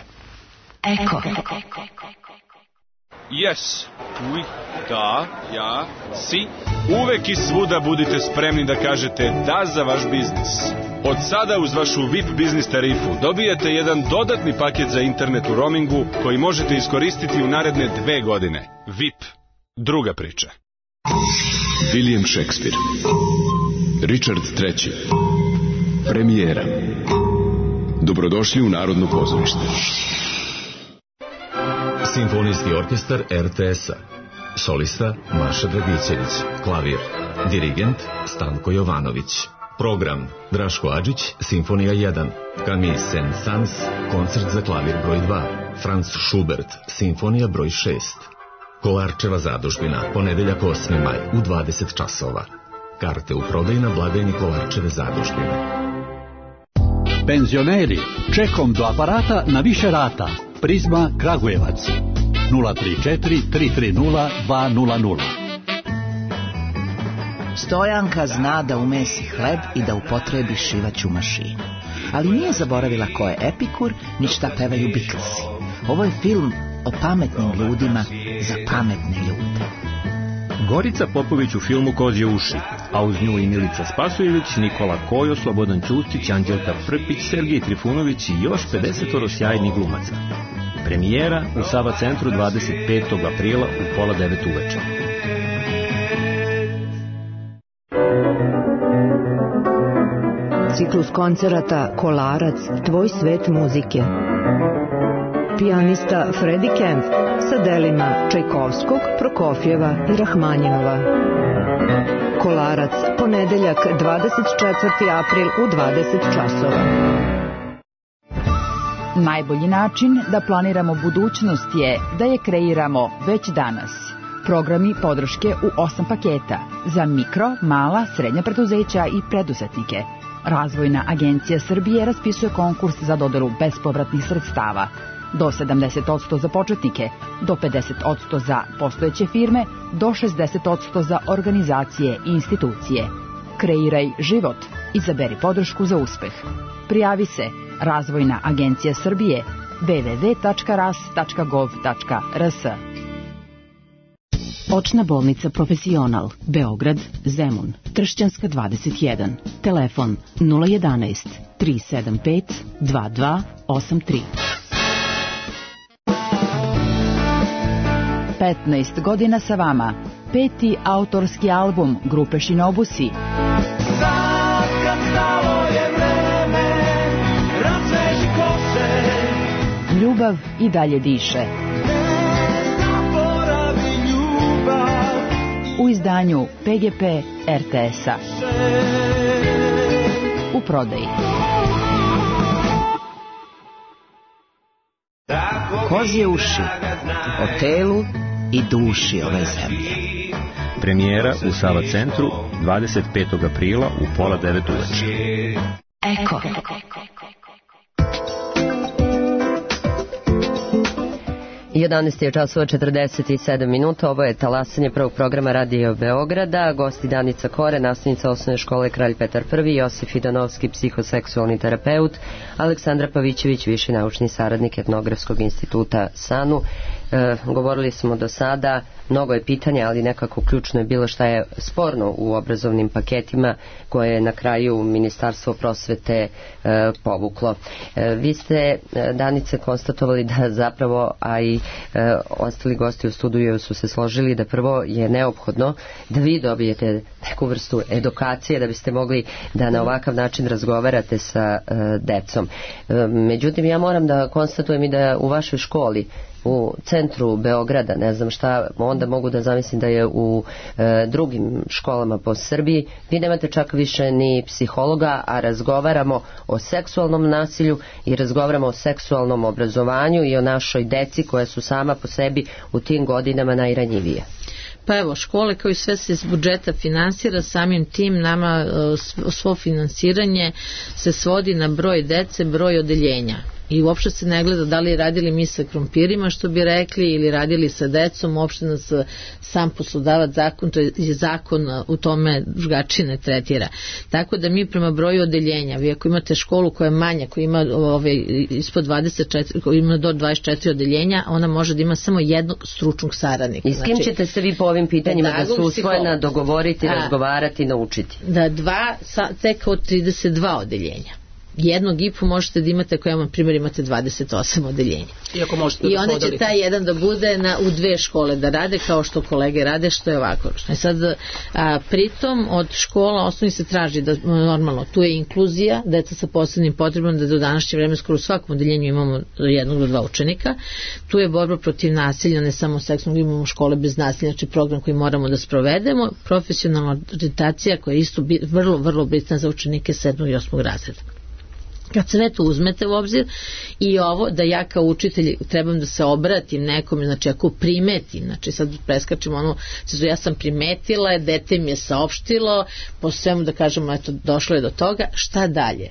Eko. Yes, oui, da, ja, si. Uvek i svuda budite spremni da kažete da za vaš biznis. Od sada uz vašu V I P biznis tarifu dobijete jedan dodatni paket za internet u roamingu koji možete iskoristiti u naredne dve godine. V I P. Druga priča. William Shakespeare. Richard treći. Premijera. Dobrodošli u Narodno pozorište. Simfonijski orkestar er te es-a. Solista Maša Dragićević. Klavir. Dirigent Stanko Jovanović. Program Draško Adžić, Simfonija jedan. Camille Saint-Saëns, koncert za klavir broj dva. Franz Schubert, Simfonija broj šest. Kolarčeva zadužbina, ponedeljak osmi maj u dvadeset časova. Karte u prodaju na blagajni Kolarčeve zadužbine. Penzioneri, čekom do aparata na više rata. Prizma Kragujevac. nula tri četiri tri tri nula dva nula nula. Stojanka zna da umesi hleb i da upotrebi šivaću mašinu. Ali nije zaboravila ko je Epikur, ni šta pevaju Beatlesi. Ovo je film o pametnim ljudima za pametne ljude. Gorica Popović u filmu Kozje uši, a uz nju i Milica Spasojević, Nikola Kojo, Slobodan Ćustić, Anđelka Prpić, Sergej Trifunović i još pedesetoro sjajnih glumaca. Premijera u Sava centru dvadeset petog aprila u pola devet uveče. Ciklus koncerata Kolarac, tvoj svet muzike. Pijanista Freddie Kempf sa delima Čajkovskog, Prokofjeva i Rahmanjinova. Kolarac, ponedeljak dvadeset četvrti april u dvadeset časova. Najbolji način da planiramo budućnost je da je kreiramo već danas. Programi podrške u osam paketa za mikro, mala, srednja preduzeća i preduzetnike. Razvojna agencija Srbije raspisuje konkurs za dodelu bespovratnih sredstava. Do sedamdeset posto za početnike, do pedeset posto za postojeće firme, do šezdeset posto za organizacije i institucije. Kreiraj život. Izaberi podršku za uspeh. Prijavi se Razvojna agencija Srbije w w w tačka ras tačka gov tačka r s. Očna bolnica Profesional, Beograd, Zemun, Tršćanska dvadeset jedan. Telefon nula jedanaest tri sedam pet dva dva osam tri. petnaest godina sa vama. Peti autorski album grupe Shinobusi. Sad kad stalo je vreme, razveži kose. Ljubav i dalje diše. U izdanju pe ge pe er te es-a. U prodaji. Kozje uši, o telu i duši ove zemlje. Premijera u Sava centru dvadeset petog aprila u pola devet uveče. Eko. jedanaest je časova četrdeset sedam minuta, ovo je talasanje prvog programa Radio Beograda, gosti Danica Kore, nastavnica osnovne škole Kralj Petar prvi, Josif Idanovski, psihoseksualni terapeut, Aleksandra Pavićević, viši naučni saradnik Etnografskog instituta SANU. E, govorili smo do sada, mnogo je pitanja, ali nekako ključno je bilo šta je sporno u obrazovnim paketima koje je na kraju Ministarstvo prosvete e, povuklo. E, vi ste, e, Danice, konstatovali da zapravo, a i e, ostali gosti u studiju su se složili da prvo je neophodno da vi dobijete neku vrstu edukacije da biste mogli da na ovakav način razgovarate sa e, decom. E, međutim, ja moram da konstatujem i da u vašoj školi u centru Beograda, ne znam šta, onda mogu da zamislim da je u e, drugim školama po Srbiji, vi nemate čak više ni psihologa, a razgovaramo o seksualnom nasilju i razgovaramo o seksualnom obrazovanju i o našoj deci koja su sama po sebi u tim godinama najranjivije. Pa evo, škole kao i sve se iz budžeta finansira, samim tim nama svo finansiranje se svodi na broj dece, broj odeljenja. I uopšte se ne gleda da li radili mi sa krompirima, što bi rekli, ili radili sa decom, uopšte nas sam poslodavac zakon, to je zakon u tome drugačije ne tretira. Tako da mi prema broju odeljenja, vi ako imate školu koja je manja, koja ima ove, ispod dvadeset četiri, koja ima do dvadeset četiri odeljenja, ona može da ima samo jednog stručnog saradnika. I s kim znači, ćete se vi po ovim pitanjima da su usvojena dogovoriti, a, razgovarati, naučiti? Da dva, tek od trideset dva odeljenja. jednog I P U možete da imate ako, na primjer, imate dvadeset osam odeljenja. I, možete I da onda će taj jedan da bude na, u dve škole da rade kao što kolege rade, što je ovako. E sad, a, pritom od škola osnovni se traži da normalno tu je inkluzija, deca sa posebnim potrebama, da do današnje vreme skoro u svakom odeljenju imamo jednog do dva učenika. Tu je borba protiv nasilja, ne samo seksualnog, imamo škole bez nasilja, znači program koji moramo da sprovedemo, profesionalna orijentacija koja je isto bi, vrlo, vrlo bitna za učenike sedmog i osmog razreda. Kad sve to uzmete u obzir i ovo da ja kao učitelj trebam da se obratim nekome, znači ako primetim, znači sad preskačemo ono, ja sam primetila, dete mi je saopštilo, po svemu da kažemo, eto, došlo je do toga, šta dalje?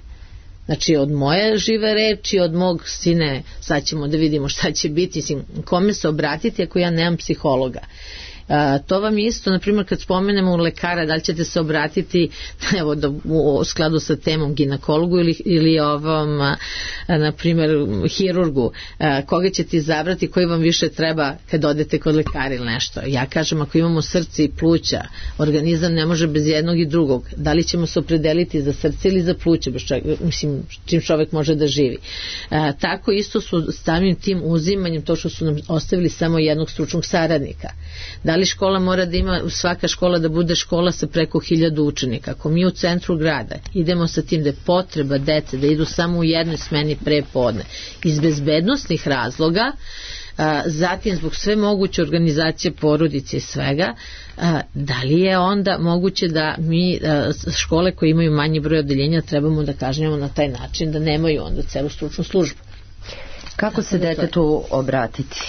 Znači od moje žive reči, od mog sine, sad ćemo da vidimo šta će biti, mislim, kome se obratiti ako ja nemam psihologa. Uh, to vam je isto, na primjer, kad spomenemo u lekara, da li ćete se obratiti, evo, da, u, u skladu sa temom ginekologu ili, ili ovom, uh, na primjer, hirurgu, uh, koga ćete izabrati, koji vam više treba kad odete kod lekara ili nešto. Ja kažem, ako imamo srce i pluća, organizam ne može bez jednog i drugog. Da li ćemo se opredeliti za srce ili za pluće, bez čovjek, mislim, čim čovjek može da živi. Uh, tako isto su samim tim uzimanjem, to što su nam ostavili samo jednog stručnog saradnika. Da li škola mora da ima, svaka škola da bude škola sa preko hiljadu učenika? Ako mi u centru grada idemo sa tim da je potreba dece da idu samo u jednoj smeni pre podne iz bezbednosnih razloga, a, zatim zbog sve moguće organizacije porodice i svega, a, da li je onda moguće da mi a, škole koje imaju manji broj odeljenja trebamo da kažnjamo na taj način da nemaju onda celu stručnu službu? Kako se detetu obratiti?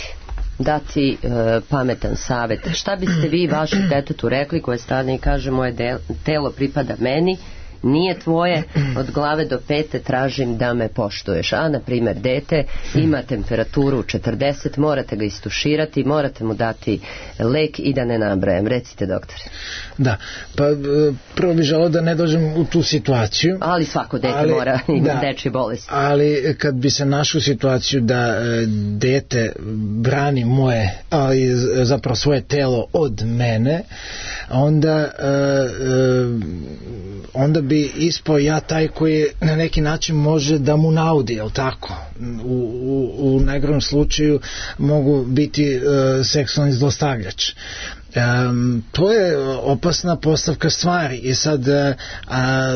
Dati e, pametan savjet. Šta biste vi vašem detetu rekli koje stane i kaže moje del, telo pripada meni, nije tvoje, od glave do pete tražim da me poštuješ. A, na primjer, dete ima temperaturu četrdeset, morate ga istuširati, morate mu dati lek i da ne nabrajem. Recite, doktore. Da, pa prvo bih želeo da ne dođem u tu situaciju. Ali svako dete ali, mora ima da, dečje bolesti. Ali kad bi se našao situaciju da dete brani moje, ali zapravo svoje telo od mene, onda onda bi ispao ja taj koji na neki način može da mu naudi, jel tako? U, u, u najgorom slučaju mogu biti uh, seksualni zlostavljač. Um, to je opasna postavka stvari i sad a, a,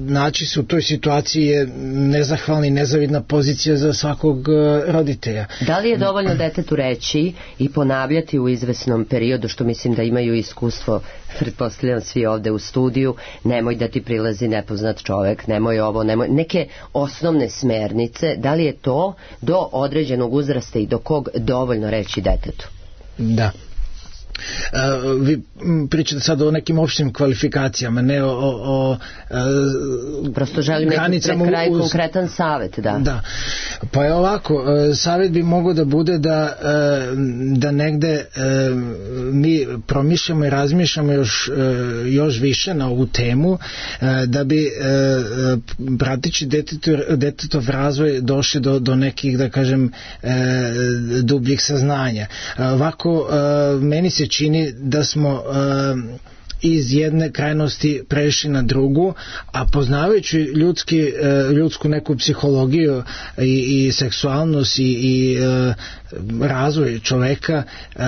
naći se u toj situaciji je nezahvalna i nezavidna pozicija za svakog a, roditelja. Da li je dovoljno detetu reći i ponavljati u izvesnom periodu, što mislim da imaju iskustvo, pretpostavljam svi ovde u studiju, nemoj da ti prilazi nepoznat čovek, nemoj ovo, nemoj, neke osnovne smernice, da li je to do određenog uzrasta i do kog dovoljno reći detetu? Da. Uh, vi pričate sad o nekim opštim kvalifikacijama, ne o, o, o uh, prosto želim neki pre kraj uz... konkretan savjet, da. Da. Pa je ovako, uh, savjet bi mogao da bude da, uh, da negde uh, mi promišljamo i razmišljamo još, uh, još više na ovu temu, uh, da bi uh, pratići detetov, detetov razvoj došli do, do nekih, da kažem, uh, dubljih saznanja. Uh, ovako, uh, meni se čini da smo uh, iz jedne krajnosti prešli na drugu, a poznavajući ljudski, uh, ljudsku neku psihologiju i, i seksualnost i, i uh, razvoj čoveka, uh,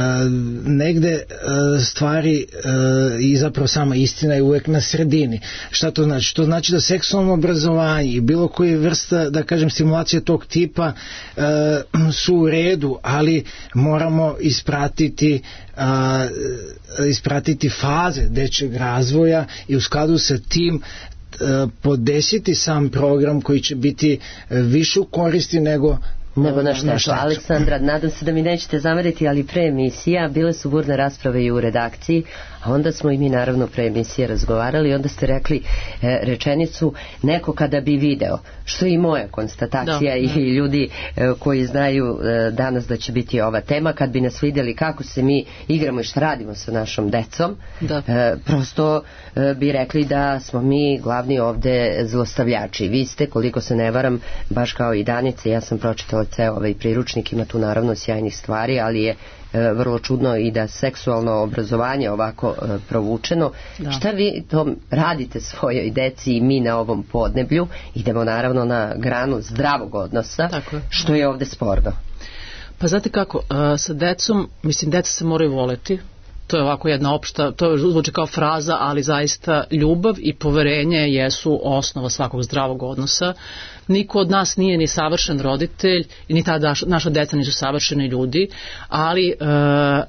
negde uh, stvari uh, i zapravo sama istina je uvek na sredini. Šta to znači? To znači da seksualno obrazovanje i bilo koja vrsta, da kažem, stimulacije tog tipa uh, su u redu, ali moramo ispratiti a, ispratiti faze dečjeg razvoja i u skladu sa tim a, podesiti sam program koji će biti više u koristi nego nego na štetu. Aleksandra, nadam se da mi nećete zameriti, ali pre emisija bile su burne rasprave i u redakciji, a onda smo i mi naravno pre emisije razgovarali i onda ste rekli e, rečenicu neko kada bi video, što je i moja konstatacija da, i da. ljudi e, koji znaju e, danas da će biti ova tema, kad bi nas vidjeli kako se mi igramo i šta radimo sa našom decom, da. E, prosto e, bi rekli da smo mi glavni ovde zlostavljači. Vi ste, koliko se ne varam, baš kao i Danica, ja sam pročitala ceo ovaj priručnik, ima tu naravno sjajnih stvari, ali je e, vrlo čudno i da seksualno obrazovanje ovako e, provučeno. Da. Šta vi to radite svojoj deci i mi na ovom podneblju? Idemo naravno na granu zdravog odnosa, je. Što je ovde sporno. Pa znate kako, sa decom, mislim, deca se moraju voleti, to je ovako jedna opšta, to zvuči kao fraza, ali zaista ljubav i poverenje jesu osnova svakog zdravog odnosa. Niko od nas nije ni savršen roditelj i ni ta naša deca nisu savršeni ljudi, ali e,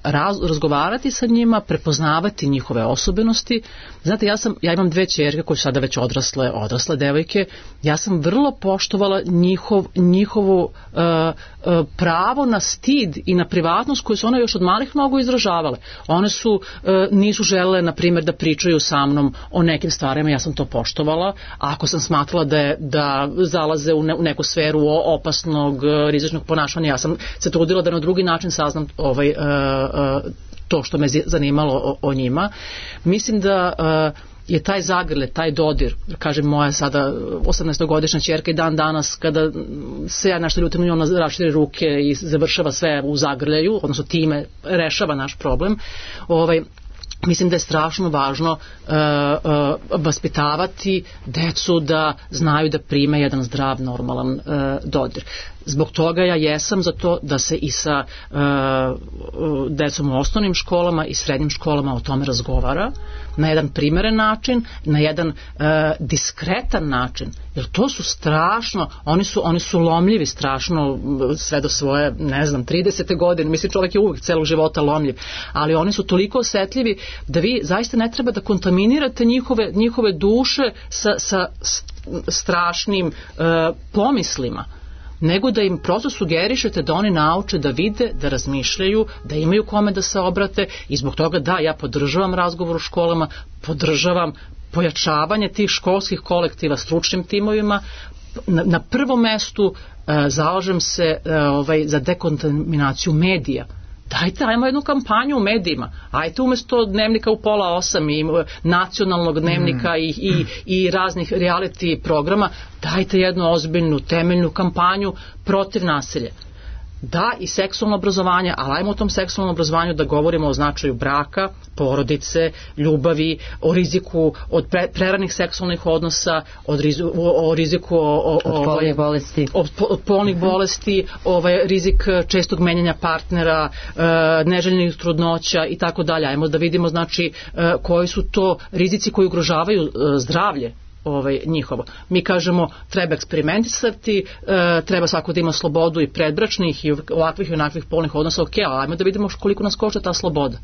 raz, razgovarati sa njima, prepoznavati njihove osobenosti. Znate, ja, sam, ja imam dve ćerke koje su sada već odrasle, odrasle devojke, ja sam vrlo poštovala njihov, njihovu e, e, pravo na stid i na privatnost koju su one još od malih nogu izražavale. One su, e, nisu želele, na primjer, da pričaju sa mnom o nekim stvarima, ja sam to poštovala, a ako sam smatrala da, je, da zalaze u, ne, u neku sferu opasnog, rizičnog ponašanja, ja sam se trudila da na drugi način saznam ovaj, e, e, to što me zanimalo o, o njima. Mislim da e, je taj zagrlet, taj dodir, kažem moja sada osamnaestogodišnja ćerka i dan danas kada se ja nešto ljutim, ona raširi ruke i završava sve u zagrljaju, odnosno time rešava naš problem. Ovaj, mislim da je strašno važno uh, uh, vaspitavati decu da znaju da prime jedan zdrav, normalan uh, dodir. Zbog toga ja jesam za to da se i sa uh, decom u osnovnim školama i srednjim školama o tome razgovara na jedan primeren način, na jedan uh, diskretan način, jer to su strašno, oni su, oni su lomljivi strašno sve do svoje, ne znam, tridesete godine, mislim čovjek je uvijek celog života lomljiv, ali oni su toliko osetljivi da vi zaista ne treba da kontaminirate njihove, njihove duše sa, sa strašnim uh, pomislima, nego da im prosto sugerišete da oni nauče da vide, da razmišljaju, da imaju kome da se obrate i zbog toga da, ja podržavam razgovor u školama, podržavam pojačavanje tih školskih kolektiva stručnim timovima, na, na prvom mestu e, zalažem se e, ovaj, za dekontaminaciju medija. Dajte, ajmo jednu kampanju u medijima. Ajte umjesto dnevnika u pola osam i nacionalnog dnevnika mm. i, i, i raznih reality programa, dajte jednu ozbiljnu, temeljnu kampanju protiv nasilja. Da, i seksualno obrazovanje, ali ajmo o tom seksualnom obrazovanju da govorimo o značaju braka, porodice, ljubavi, o riziku od pre, preranih seksualnih odnosa, od riziku, o, o riziku o, o, od polnih bolesti, od, od polnih bolesti, ovaj rizik čestog menjanja partnera, e, neželjenih trudnoća i tako dalje. Ajmo da vidimo znači e, koji su to rizici koji ugrožavaju e, zdravlje ovaj, njihovo. Mi kažemo treba eksperimentisati, e, treba svako da ima slobodu i predbračnih i ovakvih i onakvih polnih odnosa, ok, ali ajmo da vidimo koliko nas košta ta sloboda.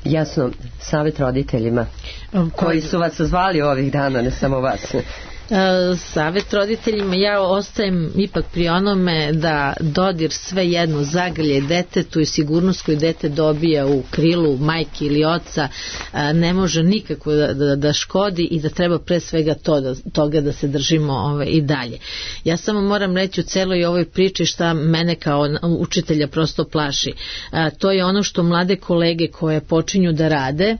Jasno, savjet roditeljima koji su vas zvali ovih dana, ne samo vas. Savjet roditeljima, ja ostajem ipak pri onome da dodir sve jedno zagrlje detetu i sigurnost koju dete dobija u krilu majke ili oca ne može nikako da, da, da škodi i da treba pre svega to, da, toga da se držimo ove, i dalje. Ja samo moram reći u celoj ovoj priči šta mene kao učitelja prosto plaši. A, to je ono što mlade kolege koje počinju da rade,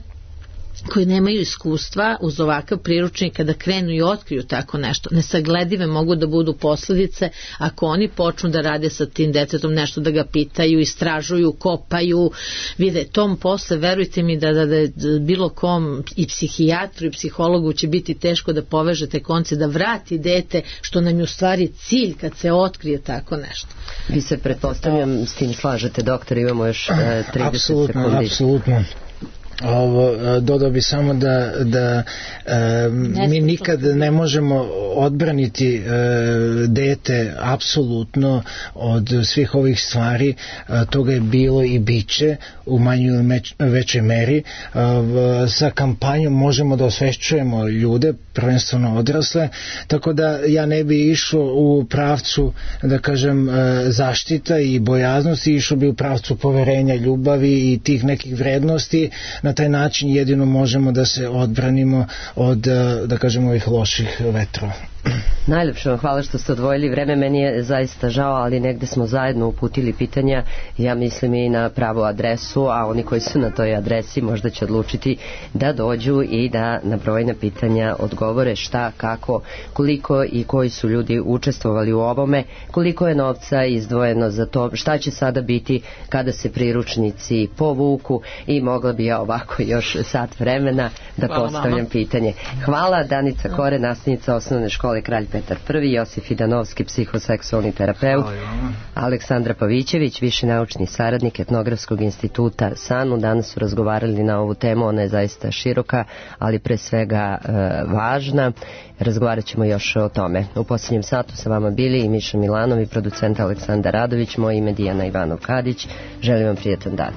koji nemaju iskustva uz ovakav priručnik kada krenu i otkriju tako nešto, nesagledive mogu da budu posledice ako oni počnu da rade sa tim detetom, nešto da ga pitaju, istražuju, kopaju, vide tom posle, verujte mi da, da, da bilo kom i psihijatru i psihologu će biti teško da povežete konce, da vrati dete, što nam je u stvari cilj kad se otkrije tako nešto. Vi se pretpostavljam s tim slažete, doktor, imamo još uh, trideset apsolutno, sekundi. Apsolutno. Ovo, dodao bi samo da, da e, mi nikad ne možemo odbraniti e, dete apsolutno od svih ovih stvari, e, toga je bilo i biće u manjoj ili meč, većoj meri. E, sa kampanjom možemo da osvešćujemo ljude, prvenstveno odrasle, tako da ja ne bi išao u pravcu, da kažem, e, zaštita i bojaznosti, išao bi u pravcu poverenja, ljubavi i tih nekih vrednosti. Na taj način jedino možemo da se odbranimo od, da kažemo, ovih loših vetrova. Najlepše vam hvala što ste odvojili vreme, meni je zaista žao, ali negde smo zajedno uputili pitanja, ja mislim i na pravu adresu, a oni koji su na toj adresi možda će odlučiti da dođu i da na brojna pitanja odgovore šta, kako, koliko i koji su ljudi učestvovali u ovome, koliko je novca izdvojeno za to, šta će sada biti kada se priručnici povuku i mogla bi ja ovako još sat vremena da hvala postavljam mama. Pitanje. Hvala Danica Kore, nastavnica osnovne škole Kralj Petar Prvi, Josif Idanovski, psihoseksualni terapeut, Aleksandra Pavićević, viši naučni saradnik Etnografskog instituta SANU. Danas su razgovarali na ovu temu, ona je zaista široka, ali pre svega e, važna. Razgovarat ćemo još o tome. U posljednjem satu sa vama bili i Miša Milanov i producent Aleksandar Radović, moje ime Dijana Ivanov Kadić. Želim vam prijetan dan.